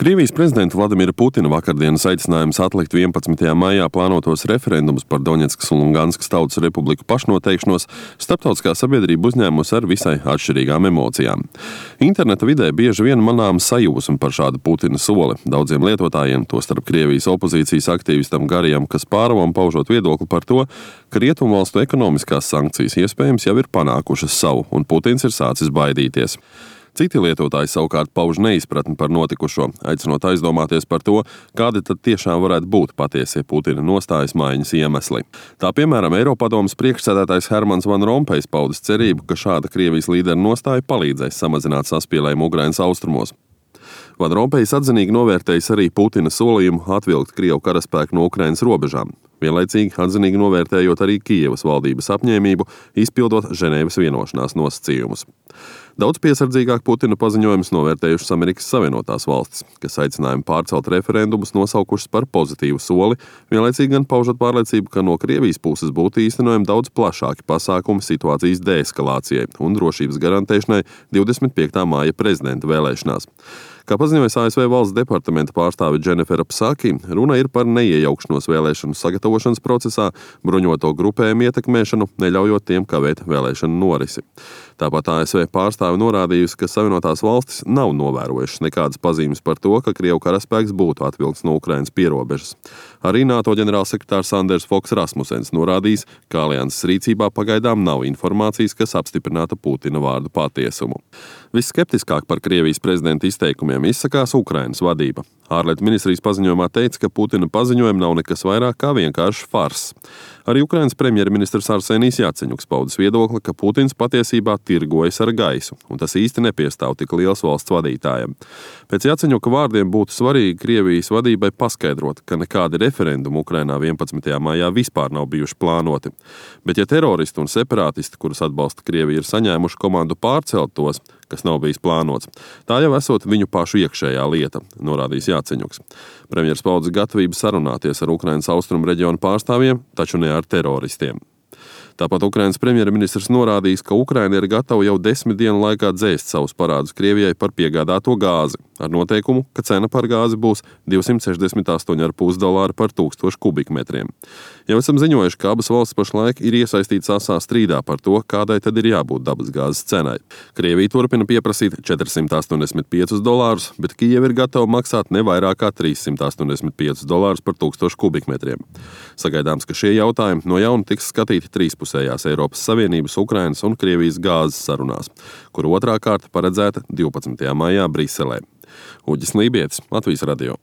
Krievijas prezidenta Vladimira Putina vakardienas aicinājums atlikt 11. maijā plānotos referendumus par Doņetskas un Luganskas Tautas Republiku pašnoteikšanos starptautiskā sabiedrība uzņēmusi ar visai atšķirīgām emocijām. Interneta vidē bieži vien manām sajūsma par šādu Putina soli. Daudziem lietotājiem, tostarp Krievijas opozīcijas aktīvistam Garijam Kaspārovam, paužot viedokli par to, ka rietumvalstu ekonomiskās sankcijas iespējams jau ir panākušas savu, un Putins ir sācis baidīties. Citi lietotāji savukārt pauž neizpratni par notikušo, aicinot aizdomāties par to, kādi tad tiešām varētu būt patiesie Putina nostājas maiņas iemesli. Tā piemēram, Eiropadomes priekšsēdētājs Hermans Van Rompējs paudis cerību, ka šāda Krievijas līdera nostāja palīdzēs samazināt saspīlējumu Ukrainas austrumos. Van Rompējs atzinīgi novērtējis arī Putina solījumu atvilkt Krievu karaspēku no Ukrainas robežām, vienlaicīgi atzinīgi novērtējot arī Kijevas valdības apņēmību izpildot Ženēvas vienošanās nosacījumus. Daudz piesardzīgāk Putina paziņojumus novērtējušas Amerikas Savienotās valstis, kas aicinājumu pārcelt referendumus nosaukušas par pozitīvu soli, vienlaicīgi gan paužot pārliecību, ka no Krievijas puses būtu īstenojami daudz plašāki pasākumi situācijas deeskalācijai un drošības garantēšanai 25. māja prezidenta vēlēšanās. Kā paziņojas ASV valsts departamenta pārstāve Dženifera Psaki, runa ir par neiejaukšanos vēlēšanu sagatavošanas procesā, bruņoto grupējumu ietekmēšanu, neļaujot tiem kavēt vēlēšanu norisi. Tāpat ASV pārstāve norādījusi, ka Savienotās valstis nav novērojušas nekādas pazīmes par to, ka Krievu karaspēks būtu atvilkts no Ukrainas pierobežas. Arī NATO ģenerālsekretārs Anders Foks Rasmusens norādījis, ka alianses rīcībā pagaidām nav informācijas, kas apstiprinātu Putina vārdu patiesumu. Visskeptiskāk par Krievijas prezidenta izteikumiem izsakās Ukrainas vadība. Ārlietu ministrijas paziņojumā teica, ka Putina paziņojumi nav nekas vairāk kā vienkārši fars. Arī Ukrainas premjerministrs Arsenijs Jaceņuks paudis viedokli, ka Putins patiesībā tirgojas ar gaisu, un tas īsti nepiestāv tik liels valsts vadītājiem. Pēc Jaceņuka vārdiem būtu svarīgi Krievijas vadībai paskaidrot, ka nekādi referendumi Ukrainā 11. maijā vispār nav bijuši plānoti. Bet ja teroristi un separātisti, kurus atbalsta Krievija, ir saņēmuši komandu pārcelt tos, kas nav bijis plānots, tā jau esot viņu pašu iekšējā lieta, norādījis Jaceņuks. Premjers paudis gatavību sarunāties ar Ukrainas austrumu reģionu pārstāvjiem, taču ne ar teroristiem. Tāpat Ukrainas premjerministrs norādījis, ka Ukraina ir gatava jau 10 dienu laikā dzēst savus parādus Krievijai par piegādāto gāzi, ar noteikumu, ka cena par gāzi būs $268,5 par 1000 kubikmetriem. Jau esam ziņojuši, ka abas valstis pašlaik ir iesaistītas asā strīdā par to, kādai tad ir jābūt dabasgāzes cenai. Krievija turpina pieprasīt $485, bet Kijeva ir gatava maksāt ne vairāk kā $385 par 1000 kubikmetriem. Sagaidāms, ka šie jautājumi no jauna tiks skatīti trīspusējās Eiropas Savienības, Ukrainas un Krievijas gāzes sarunās, kur otrā kārta paredzēta 12. maijā Briselē. Uģis Lībietis, Latvijas radio.